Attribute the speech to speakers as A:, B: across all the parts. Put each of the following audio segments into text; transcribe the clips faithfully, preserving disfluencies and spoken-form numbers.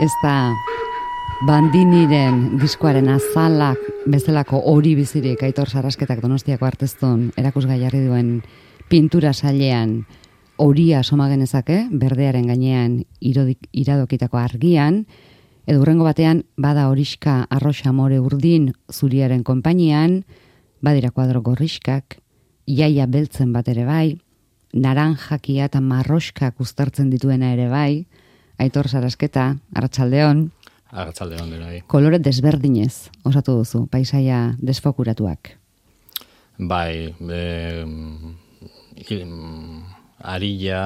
A: Ez da Bandiniren diskoaren azalak bezalako hori bizirik Aitor Sarrasketak Donostiako Arteztun erakusgai jarri duen pintura sailean horia soma genezake, berdearen gainean irodik, iradokitako argian, edo hurrengo batean bada horiska arroxa more urdin zuriaren konpainian, badira kuadro gorriskak, iaia beltzen bat ere bai, naranjakia eta marroskak uztartzen dituena ere bai, Aitor Sarrasketa, arratsaldeon.
B: Arratsaldeon dena bai.
A: Kolore desberdinez osatu duzu, paisaia desfokuratuak.
B: Bai, e, arilla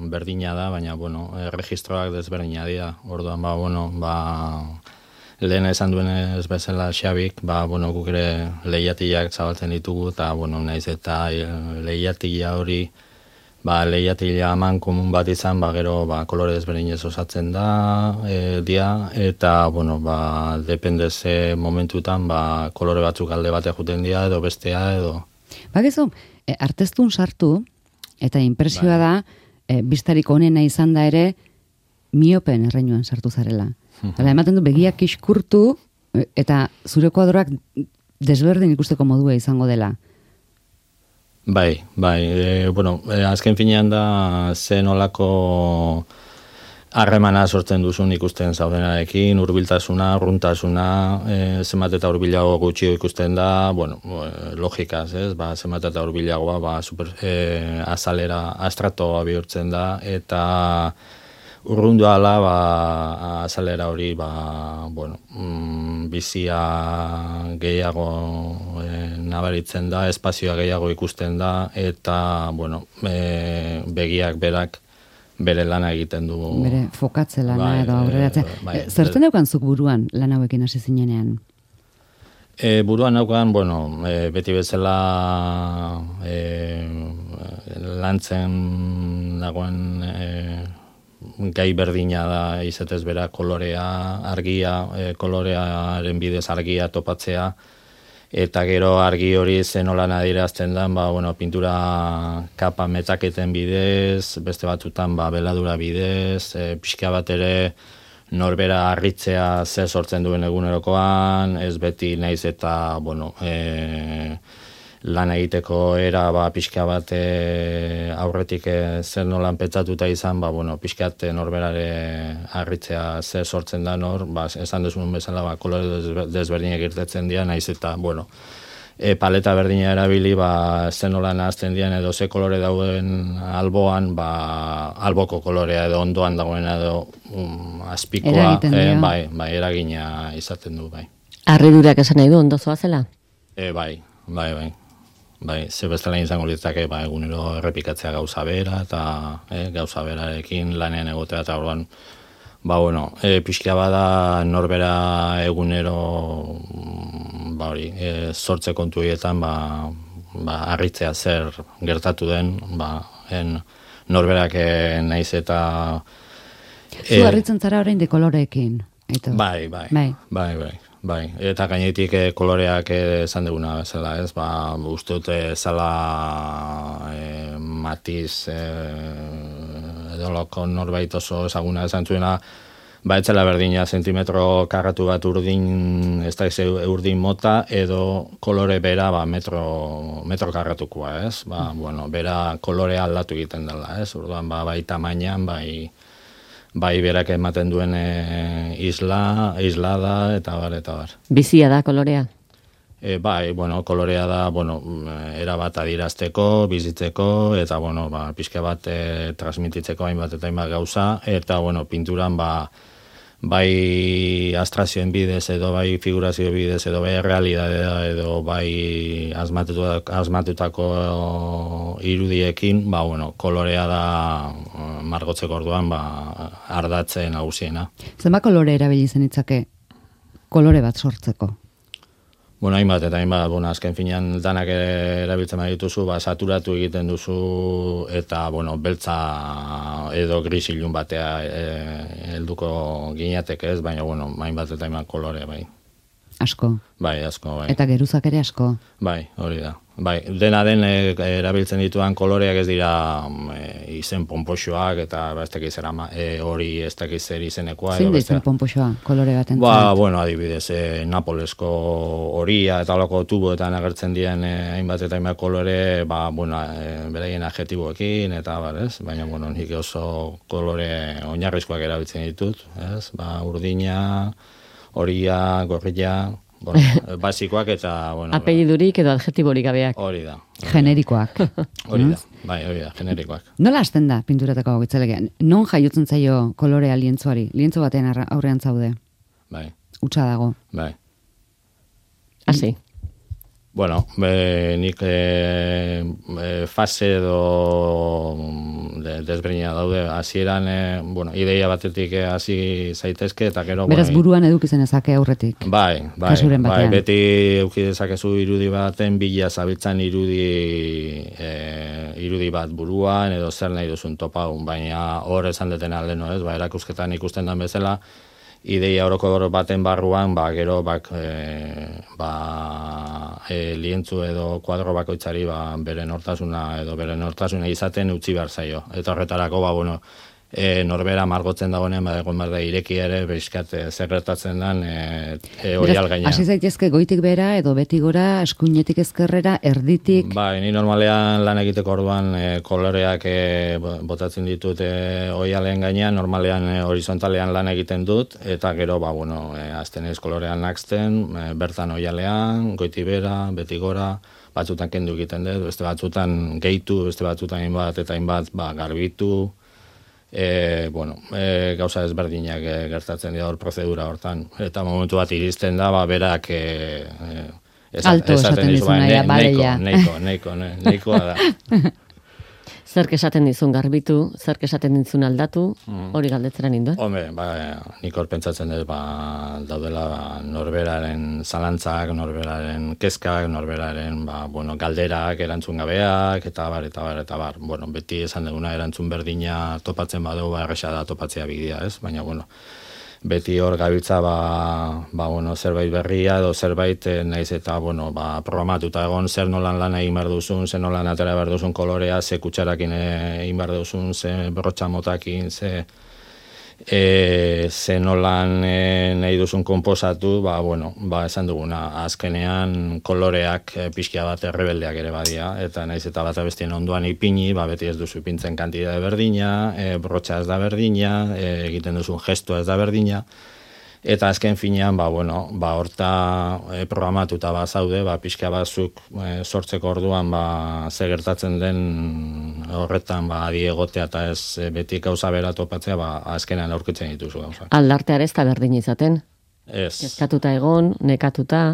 B: berdina da, baina, bueno, erregistroak desberdina dira. Orduan, ba, bueno, ba, lehen esan duenez bezala Xabik, ba, bueno, guk ere lehiatilak zabaltzen ditugu, eta, bueno, naiz eta lehiatila hori, ba, lehiatila aman komun bat izan, ba, gero, ba, kolore desberdinez osatzen da, e, dia, eta, bueno, ba, depende ze momentutan, ba, kolore batzuk alde bateak juten dira, edo bestea, edo...
A: Bakizu, e, Arteztun sartu, eta inpresioa da, e, bistarik onena izan da ere, miopen erreinuan sartu zarela. Hala, ematen du begiak iskurtu, eta zure kuadroak desberdin ikusteko modua izango dela.
B: Bai, bai, e, bueno, e, azken finean da zen olako harremana sortzen duzun ikusten zaudenarekin, hurbiltasuna, urruntasuna, e, zenbat eta hurbilago gutxio ikusten da, bueno, e, logikaz, ez, ba, zenbat eta hurbilagoa, ba, super, e, azalera, astratoa bihurtzen da, eta urrundu ala, ba, azalera hori, ba, bueno, mm, bizia gehiago e, nabaritzen da, espazioa gehiago ikusten da, eta, bueno, e, begiak berak bere lana egiten du.
A: Bere fokatze lana
B: bai,
A: edo aurreratzen.
B: Bai,
A: e, Zertzen daukanzuk buruan lan hauekin hasi zinenean?
B: E, buruan daukan, bueno, e, beti bezala e, lantzen dagoen e, gai berdina da izetez bera kolorea, argia, e, kolorearen bidez argia topatzea, eta gero argi hori zenolan adierazten da, ba, bueno, pintura kapa metaketen bidez, beste batzutan ba, beladura bidez, e, pixka bat ere norbera harritzea ze sortzen duen egunerokoan, ez beti naiz eta, bueno, e, lan egiteko era ba, pixka bat e, aurretik e, zer nolan pentsatuta izan, ba, bueno, pixkat norberare harritzea zer sortzen da nor, ba, esan duzun bezala ba, kolore desberdinak irtetzen dira, naiz eta, bueno, e, paleta berdina erabili, ba, zer nolan ahazten dian edo ze kolore dauden alboan, ba, alboko kolorea edo ondoan dagoena edo um, azpikoa, e, bai, bai, eragina izaten du, bai.
C: Harridurak esan nahi du, ondo zoazela?
B: E, bai, bai, bai. Bai, ze bestela izango litzake, ba, egunero errepikatzea gauza bera, eta eh, gauza berarekin lanean egotea, eta orduan, ba, bueno, e, pixka bada norbera egunero, ba, hori, e, sortze kontu hietan, ba, ba, harritzea zer gertatu den, ba, en, norberak naiz eta...
A: E, Zu harritzen zara orain de koloreekin.
B: Bai, bai, bai, bai, bai. Bai, eta gainetik eh, koloreak esan duguna bezala, ez, ba, uste dute zala eh, matiz eh, edo loko norbait oso ezaguna esan zuena, ba, etzela berdina zentimetro karratu bat urdin, ez da urdin mota, edo kolore bera, ba, metro, metro karratukoa, ez, ba, bueno, bera kolorea aldatu egiten dela, ez, urduan, ba, bai tamainan, bai, bai berak ematen duen e, isla, islada, eta bar, eta bar.
C: Bizia da kolorea?
B: E, bai, bueno, kolorea da, bueno, era bat adirazteko, bizitzeko, eta, bueno, ba, pixka bat e, transmititzeko hainbat eta hainbat gauza, eta, bueno, pinturan, ba, bai abstrazioen bidez, edo bai figurazio bidez, edo bai realidadea, edo bai asmatutako, asmatutako irudiekin, ba, bueno, kolorea da margotzeko orduan, ba, ardatzen nagusiena.
A: Zenba kolore erabili zenitzake kolore bat sortzeko?
B: Bueno, hainbat eta hainbat, bueno, azken finean danak erabiltzen badituzu, ba, saturatu egiten duzu, eta, bueno, beltza edo gris ilun batea helduko e, gineatek ez, baina, bueno, hainbat eta hainbat kolore, bai.
A: asko.
B: Bai, asko, bai.
A: Eta geruzak ere asko.
B: Bai, hori da. Bai, dena den e, erabiltzen dituan koloreak ez dira e, izen pompoxoak eta ba, ez dakiz e, hori ez dakiz zer izenekoa.
A: Zein da izen pompoxoa kolore baten?
B: Ba, bueno, adibidez, e, Napolesko horia eta holako tuboetan agertzen diren e, hainbat eta hainbat kolore, ba, bueno, e, beraien adjektiboekin eta bar, ez? Baina, bueno, nik oso kolore oinarrizkoak erabiltzen ditut, ez? Ba, urdina, horia, gorrilla, bueno, basikoak eta, bueno...
C: Apellidurik edo adjektiborik gabeak.
B: Hori da.
A: Generikoak.
B: Hori da, bai, hori da, generikoak.
A: Nola hasten da pinturatako gitzalegean? Non jaiotzen zaio kolorea lientzoari? Lientzo batean aurrean zaude.
B: Bai.
A: Utsa dago.
B: Bai.
C: Hasi.
B: Bueno, be, nik e, e, fase edo de, desberdina daude. Hasieran e, bueno, ideia batetik hasi zaitezke eta gero...
A: Beraz
B: bueno,
A: buruan edukizen ezake aurretik.
B: Bai, bai,
A: Kasuren
B: bai,
A: batean.
B: beti eduki dezakezu irudi baten bila zabiltzan irudi e, irudi bat buruan edo zer nahi duzun topagun, baina hor esan detena leno, ez? Ba, erakusketan ikusten den bezala, ideia orokor baten barruan, ba, gero, bak, e, ba, e, lientzu edo kuadro bakoitzari, ba, bere nortasuna edo bere nortasuna izaten utzi behar zaio. Eta horretarako, ba, bueno, e, norbera margotzen dagoenean, ba, egon behar da ireki ere, bezkat e, zer gertatzen den e, e, oial gainean.
A: Hasi zaitezke goitik bera edo beti gora, eskuinetik ezkerrera, erditik...
B: Bai, ni normalean lan egiteko orduan e, koloreak e, botatzen ditut e, oialen gainean, normalean e, horizontalean lan egiten dut, eta gero, ba, bueno, e, azten ez kolorean naksten, e, bertan oialean, goiti bera, beti gora, batzutan kendu egiten dut, beste batzutan gehitu, beste batzutan hainbat eta hainbat ba, garbitu, E, bueno, e, gauza ezberdinak e, gertatzen dira hor prozedura hortan. Eta momentu bat iristen da, ba, berak... E, e, esat,
A: Alto esaten dizuna, ja, badeia.
B: Neiko, neiko, neiko, neikoa da.
C: Zerk esaten dizun garbitu, zerk esaten dizun aldatu, hori galdetzera ninduen.
B: Hombre, ba, nik hor pentsatzen dut, ba, daudela ba, norberaren zalantzak, norberaren kezkak, norberaren ba, bueno, galderak, erantzun gabeak, eta bar, eta bar, eta bar. Bueno, beti esan duguna erantzun berdina topatzen badugu, ba, erresa da topatzea bidia, ez? Baina, bueno, beti hor gabiltza ba, ba, bueno, zerbait berria edo zerbait eh, naiz eta bueno, ba, programatuta egon zer nolan lan egin behar duzun, zer nolan atera behar duzun kolorea, ze kutsarakin egin behar duzun, ze brotxa motakin, ze, e, ze nolan e, nahi duzun konposatu, ba, bueno, ba, esan duguna, azkenean koloreak e, pixkia bat errebeldeak ere badia, eta naiz eta bat abestien onduan ipini, ba, beti ez duzu ipintzen kantidade berdina, e, brotxa ez da berdina, e, egiten duzun gestua ez da berdina, eta azken finean, ba, bueno, ba, horta e, programatuta ba, zaude, ba, pixka batzuk e, sortzeko orduan, ba, ze gertatzen den horretan, ba, adi egotea eta ez e, beti gauza bera topatzea, ba, azkenan aurkitzen dituzu gauza.
C: Aldartear ez da berdin izaten.
B: Ez.
C: Kezkatuta egon, nekatuta,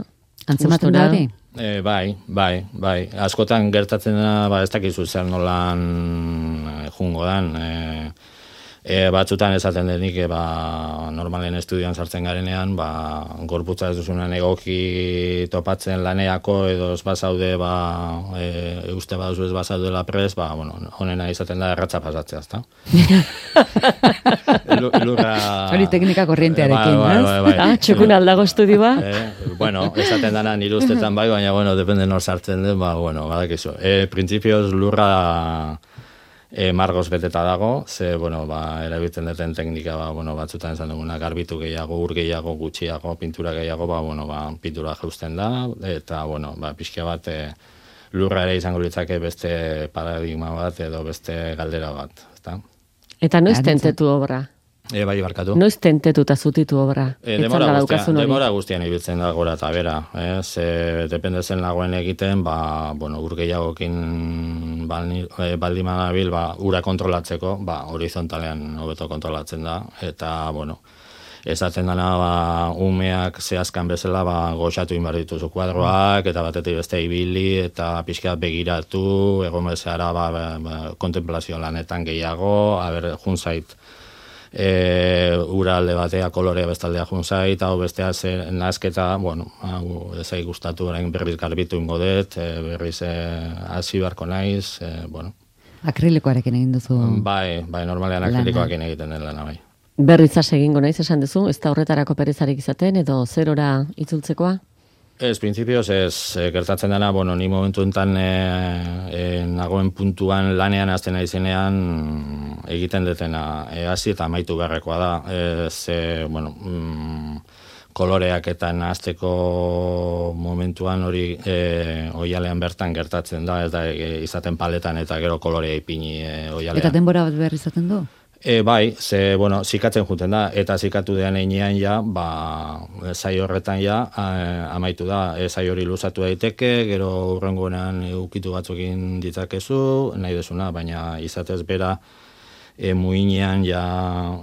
A: Antzematen da hori?
B: E, bai, bai, bai. Askotan gertatzen da, ba, ez dakizu zer nolan e, jungo dan, e, E, batzutan esaten denik, e, ba, normalen estudioan sartzen garenean, ba, gorputza ez duzunan egoki topatzen laneako, edo ez bazaude, ba, e, uste baduzu ez bazaudela pres, ba, bueno, honena izaten da erratza pasatzea, ezta? Lurra...
A: Hori teknika korrientearekin,
B: bai, bai, bai, bai.
C: Ah, txukun aldago estudio ba?
B: E, bueno, esaten dana nire ustetan bai, baina, bueno, depende nor sartzen den, ba, bueno, badakizu. E, printzipioz lurra... E, margoz beteta dago, ze, bueno, ba, erabiltzen duten teknika, ba, bueno, batzutan esan duguna, garbitu gehiago, ur gehiago, gutxiago, pintura gehiago, ba, bueno, ba, pintura jausten da, eta, bueno, ba, pixka bat, e, lurra ere izango litzake beste paradigma bat, edo beste galdera bat, ezta?
C: Eta noiz tentetu obra?
B: E, bai, barkatu.
C: Noiz tentetu eta zutitu obra?
B: E, demora, guztian, demora guztian ibiltzen da gora eta bera. Eh? Ze, depende zen lagoen egiten, ba, bueno, ur gehiagokin baldin manabil, ba, ura kontrolatzeko, ba, horizontalean hobeto kontrolatzen da, eta, bueno, esaten dana, ba, umeak zehazkan bezala, ba, goxatu inbar dituzu kuadroak, eta batetik beste ibili, eta pixka begiratu, egon bezala, ba, ba, ba, kontemplazio lanetan gehiago, haber, junzait, E, ura alde batea kolorea bestaldea junzait, hau bestea zer nazketa, bueno, hau ezai gustatu orain berriz garbitu ingo dut, e, berriz hasi beharko naiz, e, bueno.
A: Akrilikoarekin egin duzu?
B: Bai, bai, normalean akrilikoarekin egiten den lana, bai.
C: Berrizaz egingo naiz esan duzu, ez da horretarako perezarik izaten, edo zerora itzultzekoa?
B: Ez, printzipioz ez, e, gertatzen dena, bueno, ni momentu enten e, e, nagoen puntuan lanean azten naizenean egiten detena e, hasi eta amaitu beharrekoa da. Ez, e, bueno, mm, koloreak eta nahazteko momentuan hori e, oialean bertan gertatzen da, ez da e, izaten paletan eta gero kolorea ipini e, oialean.
A: Eta denbora bat behar izaten du?
B: E, bai, ze, bueno, zikatzen juten da, eta zikatu dean einean ja, ba, zai horretan ja, a, amaitu da, e, zai hori luzatu daiteke, gero hurrengoenan ukitu batzukin ditzakezu, nahi desuna, baina izatez bera, e, muinean ja,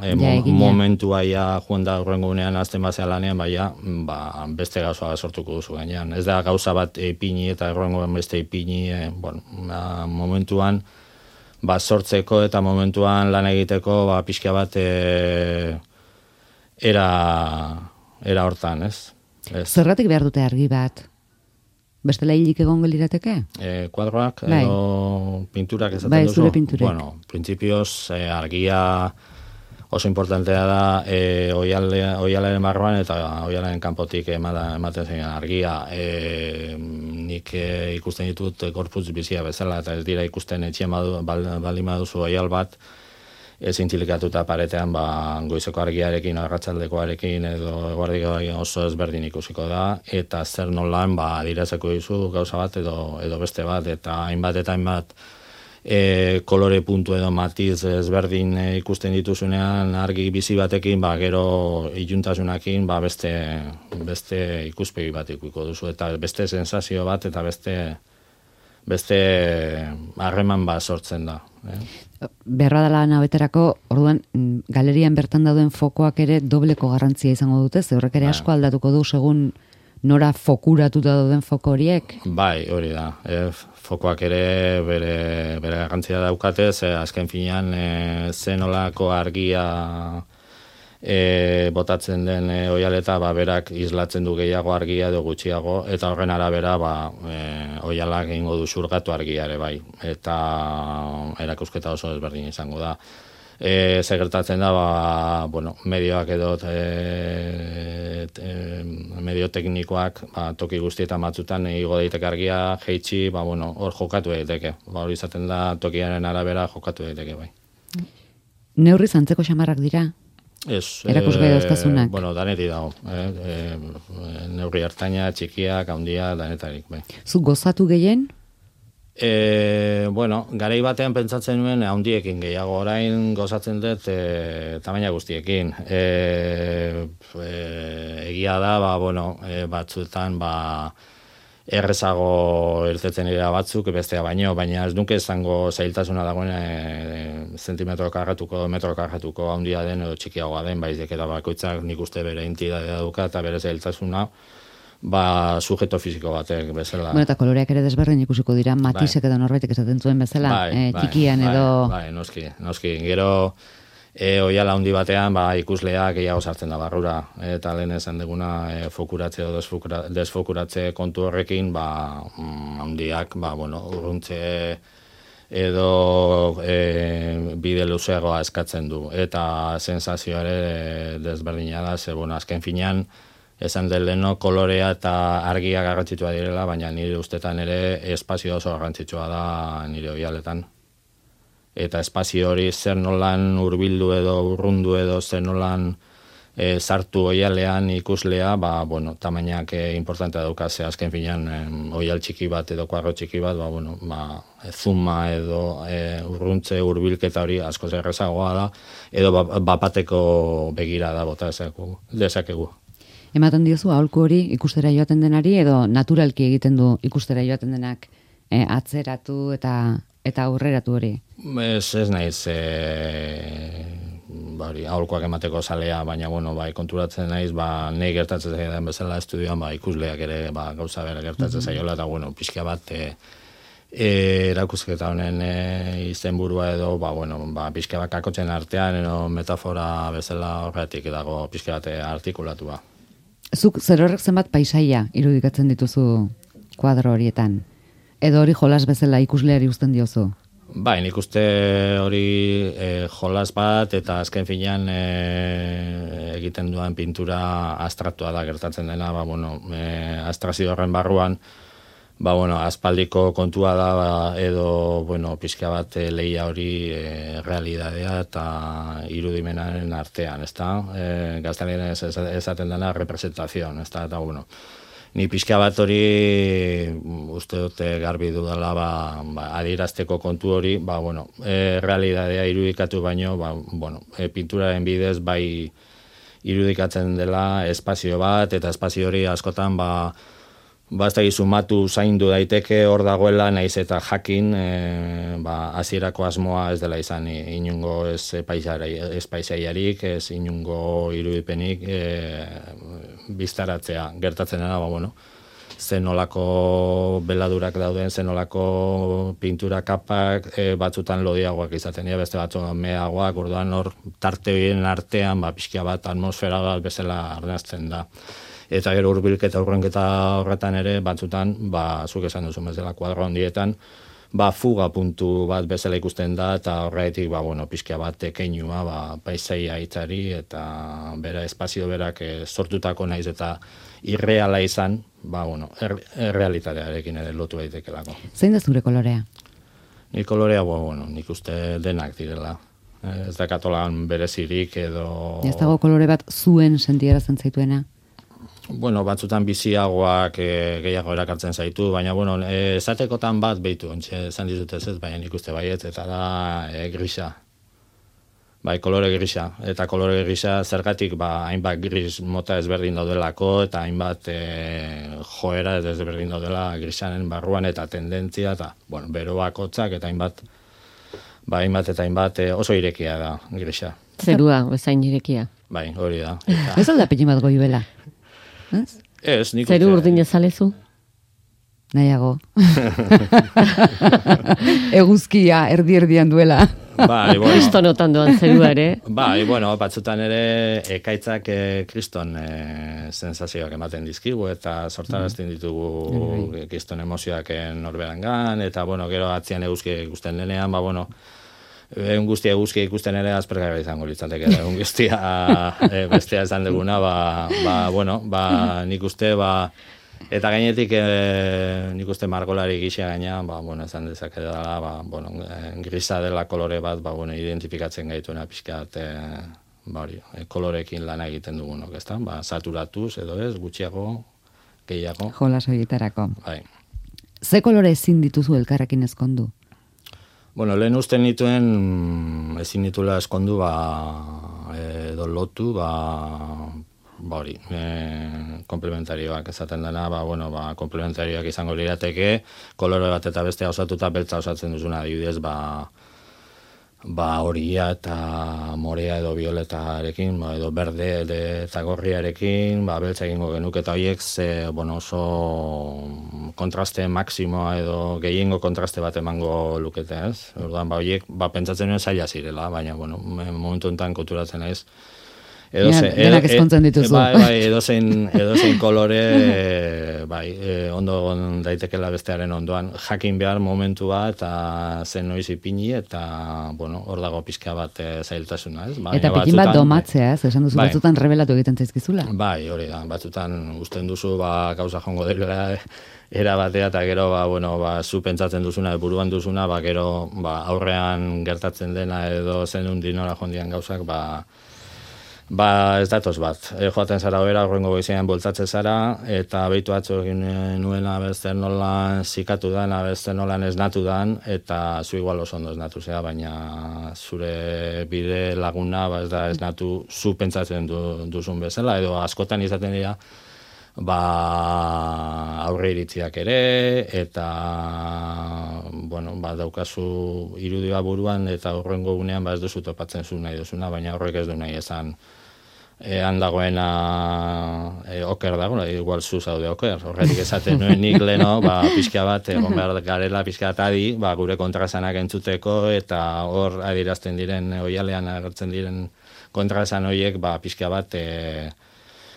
B: e,
A: ja
B: mo, momentua ja, joan da hurrengoenean azten bazea lanean, baina, ba, beste gauza sortuko duzu gainean. Ez da gauza bat ipini eta hurrengoen beste ipini, e, bueno, ba, momentuan, ba, sortzeko eta momentuan lan egiteko ba, pixka bat e, era, era hortan, ez? ez?
A: Zerratik behar dute argi bat? Bestela hilik egongo lirateke?
B: E, kuadroak
A: bai.
B: edo pinturak ezaten
A: bai,
B: duzu?
A: Zure pinturek.
B: Bueno, printzipioz e, argia oso importantea da e, oialaren barruan eta oialaren kanpotik ematen zen argia. E, nik e, ikusten ditut gorputz bizia bezala eta ez dira ikusten etxean baldin baduzu oial bat ez intzilikatuta paretean ba, goizeko argiarekin, arratsaldekoarekin edo eguerdiko oso ezberdin ikusiko da eta zer nolan ba, adirazeko dizu gauza bat edo, edo beste bat eta hainbat eta hainbat E, kolore puntu edo matiz ezberdin e, ikusten dituzunean argi bizi batekin, ba, gero iluntasunakin ba, beste, beste ikuspegi bat ikuiko duzu, eta beste sensazio bat, eta beste beste harreman bat sortzen da. Eh?
A: Beharra dela nabeterako, orduan, galerian bertan dauden fokoak ere dobleko garrantzia izango dute, ze horrek ere asko aldatuko du, segun nora fokuratuta dauden foko horiek?
B: Bai, hori da. E, fokoak ere bere, bere garrantzia daukate, ze azken finean e, zenolako argia e, botatzen den e, oialeta, ba, berak islatzen du gehiago argia edo gutxiago, eta horren arabera ba, e, oialak egingo du xurgatu argia ere bai. Eta erakusketa oso ezberdin izango da. E, ze gertatzen da, ba, bueno, medioak edo e, e, medio teknikoak ba, toki guztietan batzutan igo daiteke argia, jeitsi, ba, bueno, hor jokatu daiteke. Ba, hori izaten da tokiaren arabera jokatu daiteke bai.
A: Neurri zantzeko xamarrak dira?
B: Ez.
A: Erakusgai
B: e,
A: dauzkazunak?
B: Bueno, daneti dago. E, e, neurri hartaina, txikiak, handia, danetarik bai.
A: Zu gozatu gehien?
B: E, bueno, garai batean pentsatzen nuen handiekin gehiago, orain gozatzen dut e, tamaina guztiekin. E, e, egia da, ba, bueno, e, batzuetan ba, errezago irtetzen dira batzuk, bestea baino, baina ez nuke izango zailtasuna dagoen e, zentimetro karratuko, metro karratuko handia den edo txikiagoa den, baizik eta bakoitzak nik uste bere entitatea duka eta bere zailtasuna, ba, sujeto fisiko batek bezala.
A: Bueno, eta koloreak ere desberdin ikusiko dira, matizek bai. Edo norbaitek esaten zuen bezala, bai, eh,
B: bai,
A: txikian
B: bai,
A: edo...
B: Bai, noski, noski. Gero, e, oiala handi batean, ba, ikusleak gehiago sartzen da barrura, eta lehen esan deguna e, fokuratze edo desfokura, desfokuratze kontu horrekin, ba, handiak, ba, bueno, urruntze edo e, bide luzeagoa eskatzen du. Eta sensazioare desberdina da, ze, bueno, azken finean, esan den leheno kolorea eta argia garrantzitsua direla, baina nire ustetan ere espazio oso garrantzitsua da nire oialetan. Eta espazio hori zer nolan hurbildu edo urrundu edo zer nolan e, sartu oialean ikuslea, ba, bueno, tamainak e, importantea dauka, ze azken finean e, oial txiki bat edo kuadro txiki bat, ba, bueno, ba, zuma edo e, urruntze hurbilketa hori asko zerrezagoa da, edo bapateko begira da bota dezakegu.
A: Ematen diozu aholku hori ikustera joaten denari edo naturalki egiten du ikustera joaten denak e, atzeratu eta eta aurreratu hori?
B: Ez, ez naiz e, ba, aholkuak emateko zalea, baina bueno, bai, konturatzen naiz, ba, nahi gertatzen zaidan bezala estudioan, ba, ikusleak ere ba, gauza bera gertatzen mm-hmm. zaiola, eta bueno, pixka bat e, e, erakusketa honen e, izenburua edo, ba, bueno, ba, pixka bat kakotzen artean, edo metafora bezala horretik dago pixka bat artikulatua.
A: Zuk zer horrek zenbat paisaia irudikatzen dituzu kuadro horietan? Edo hori jolas bezala ikusleari uzten diozu?
B: Bai, nik uste hori e, jolas bat eta azken finean e, egiten duan pintura abstraktua da gertatzen dena, ba, bueno, e, abstrakzio horren barruan, ba, bueno, aspaldiko kontua da, ba, edo, bueno, pixka bat e, lehia hori e, realidadea eta irudimenaren artean, ezta? E, gazteleraz esaten dena representazion, ezta? Eta, bueno, ni pixka bat hori uste dute garbi dudala ba, ba, adierazteko kontu hori, ba, bueno, e, realidadea irudikatu baino, ba, bueno, e, pinturaren bidez bai irudikatzen dela espazio bat, eta espazio hori askotan ba, ba ez da sumatu zaindu daiteke hor dagoela, naiz eta jakin e, ba, hasierako asmoa ez dela izan inungo ez paisaiarik, ez inungo irudipenik e, biztaratzea gertatzen dena, ba, bueno, zenolako beladurak dauden, zenolako pintura kapak e, batzutan lodiagoak izaten dira, beste batzutan meagoak, orduan hor tarte horien artean, ba, pixka bat atmosfera bat bezala arnazten da. Eta gero hurbilketa aurrenketa horretan ere, batzutan, ba, zuk esan duzu bezala kuadro handietan, ba, fuga puntu bat bezala ikusten da, eta horretik, ba, bueno, pixka bat tekeinua, ba, paisaia hitzari, eta bera espazio berak e, sortutako naiz eta irreala izan, ba, bueno, er, errealitatearekin ere lotu daitekelako.
A: Zein da zure kolorea?
B: Ni kolorea, bo, bueno, nik uste denak direla. Ez da katolan berezirik edo...
A: Ez dago kolore bat zuen sentiarazten zaituena?
B: Bueno, batzutan biziagoak e, gehiago erakartzen zaitu, baina, bueno, e, esatekotan bat behitu, ontxe, esan dizut ez ez, baina nik uste baiet, eta da e, grisa. Bai, kolore grisa. Eta kolore grisa zergatik, ba, hainbat gris mota ezberdin daudelako, eta hainbat e, joera ezberdin daudela grisanen barruan, eta tendentzia, eta, bueno, beroak hotzak, eta hainbat, ba, hainbat eta hainbat e, oso irekia da grisa.
C: Zerua, bezain irekia.
B: Bai, hori da. Eta...
A: Ez alda pelin bat goibela? Ez?
B: Ez, nik
C: Zeru urdin ezalezu?
A: Nahiago. Eguzkia erdi-erdian duela.
B: Bai, bueno.
C: Kristonotan doan zerua ere.
B: Bai, bueno, batzutan ere ekaitzak e, kriston e, sensazioak ematen dizkigu eta sortarazten ditugu mm. kriston emozioak norberangan, eta, bueno, gero atzian eguzkia ikusten denean, ba, bueno, egun guztia eguzkia ikusten ere aspergarria izango litzateke, egun guztia e, bestea esan duguna, ba, ba, bueno, ba, nik uste, ba, eta gainetik e, nik uste margolari gisa gaina, ba, bueno, esan dezake dela, ba, bueno, grisa dela kolore bat, ba, bueno, identifikatzen gaituena pixkat, e, ba, hori, e, kolorekin lana egiten dugunok, ezta? Ba, saturatuz edo ez, gutxiago, gehiago.
A: Jolas horietarako.
B: Bai.
A: Ze kolore ezin dituzu elkarrekin ezkondu?
B: Bueno, lehen usten nituen ezin ditula eskondu, ba, edo lotu, ba, ba hori, e, komplementarioak esaten dena, ba, bueno, ba, komplementarioak izango lirateke, kolore bat eta bestea osatuta beltza osatzen duzuna, adibidez, ba, ba horia eta morea edo violetarekin, ba, edo berde eta gorriarekin, ba, beltza egingo genuke, eta horiek ze, bueno, oso kontraste maksimoa edo gehiengo kontraste bat emango lukete, ez? Orduan, ba, horiek, ba, pentsatzen nuen zaila zirela, baina, bueno, momentu enten kulturatzen naiz, edo
A: ja,
B: ze,
A: denak ezkontzen dituzu.
B: Bai, bai, edozein, edozein kolore, bai, e, ondo daitekela bestearen ondoan, jakin behar momentua eta zen noiz ipini, eta, bueno, hor dago pixka bat e, zailtasuna, ez? Baina
A: eta pikin bat domatzea, ez? Esan duzu, bai, batzutan rebelatu egiten zaizkizula.
B: Bai, hori da, batzutan usten duzu, ba, gauza jongo dela era batea, eta gero, ba, bueno, ba, zu pentsatzen duzuna, buruan duzuna, ba, gero, ba, aurrean gertatzen dena edo zen undinora jondian gauzak, ba, Ba, ez datoz bat. E, joaten zara bera, horrengo goizean boltzatzen zara, eta behitu atzo egin nuena beste nola zikatu dan, beste nola esnatu dan, eta zu igual oso ondo esnatu zea, baina zure bide laguna, ba, ez da esnatu zu pentsatzen du, duzun bezala, edo askotan izaten dira, ba, aurre iritziak ere, eta, bueno, ba, daukazu irudia buruan, eta horrengo gunean, ba, ez duzu topatzen zu nahi duzuna, baina horrek ez du nahi esan, ean dagoena e, oker dago, igual zu zaude oker, horretik esaten nuen nik leno, ba, pixka bat, egon behar garela pixka bat adi, ba, gure kontrasanak entzuteko, eta hor adirazten diren, oialean agertzen diren kontrasan horiek, ba, pixka bat, e,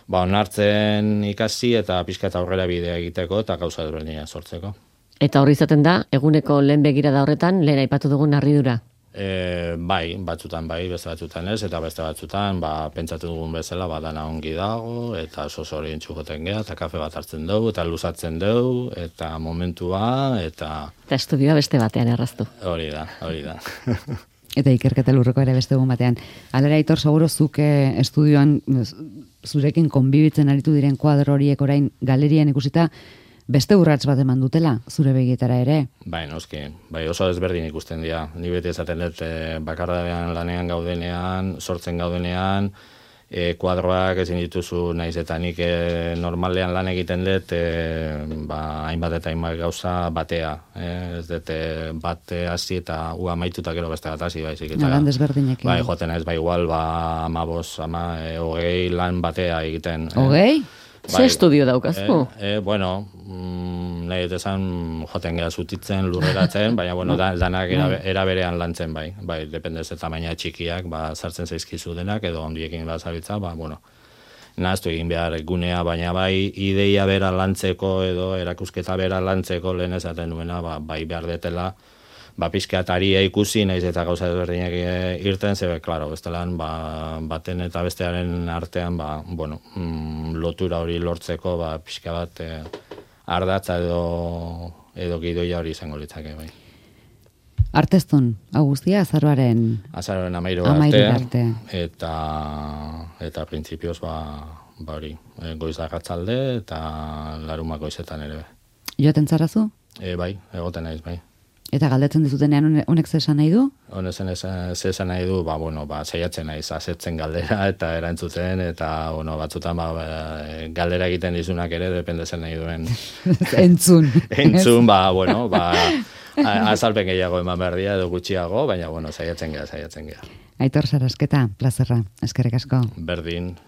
B: ba, onartzen ikasi, eta pixka eta aurrera bidea egiteko, eta gauza durenea sortzeko.
C: Eta hori izaten da, eguneko lehen begirada horretan, lehen aipatu dugun harridura.
B: E, bai, batzutan bai, beste batzutan ez, eta beste batzutan, ba, pentsatu dugun bezala, badana ongi dago, eta oso zorien txugoten geha, eta kafe bat hartzen dugu, eta luzatzen dugu, eta momentua, eta...
C: Eta estudioa beste batean erraztu.
B: Hori da, hori da.
A: Eta ikerketa lurreko ere beste egun batean. Alera, Aitor, seguro zuke estudioan zurekin konbibitzen aritu diren kuadro horiek orain galerian ikusita, beste urrats bat eman dutela, zure begietara ere.
B: Bai, noski, bai oso ezberdin ikusten dira. Ni beti esaten dut e, bakardadean lanean gaudenean, sortzen gaudenean, e, kuadroak ezin dituzu naiz eta nik e, normalean lan egiten dut, e, ba, hainbat eta hainbat gauza batea. E, ez dut e, bat hasi eta ua maituta gero beste bat hasi baizik.
A: Lan desberdinek.
B: Bai, joaten ez, bai igual, ba, amabos, ama, e, hogei lan batea egiten.
A: Hogei?
C: Ze estudio daukazu?
B: E, e, bueno, mm, nahi esan joten geha zutitzen, lurreratzen, baina bueno, da, danak era, era berean lantzen bai. Bai, dependez eta baina txikiak, ba, sartzen zaizkizu denak, edo ondiekin bazabitza, ba, bueno, nahaztu egin behar gunea, baina bai ideia bera lantzeko edo erakusketa bera lantzeko lehen esaten duena, ba, bai behar detela, ba, pizkeataria ikusi, naiz eta gauza ezberdinak irten, zebe, klaro, bestelan, ba, baten eta bestearen artean, ba, bueno, mm, lotura hori lortzeko, ba, pizka bat eh, ardatza edo, edo gidoia hori izango litzake, bai.
A: Arteztun, hau guztia, azaroaren...
B: Azaroaren amairu
A: arte,
B: arte, eta, eta printzipioz, ba, ba hori, goiz arratzalde eta laruma goizetan ere.
A: Joaten zarazu?
B: E, bai, egoten naiz, bai.
A: Eta galdetzen dizutenean honek zesan nahi du?
B: Honezen zesan nahi du, ba, bueno, ba, saiatzen naiz, asetzen galdera eta erantzuten, eta, bueno, batzutan, ba, galdera egiten dizunak ere, dependezen nahi duen.
A: Entzun.
B: Entzun, ba, bueno, ba, azalpen gehiago eman behar dira, edo gutxiago, baina, bueno, saiatzen geha, saiatzen geha.
A: Aitor Sarrasketa, plazerra, eskerrik asko.
B: Berdin.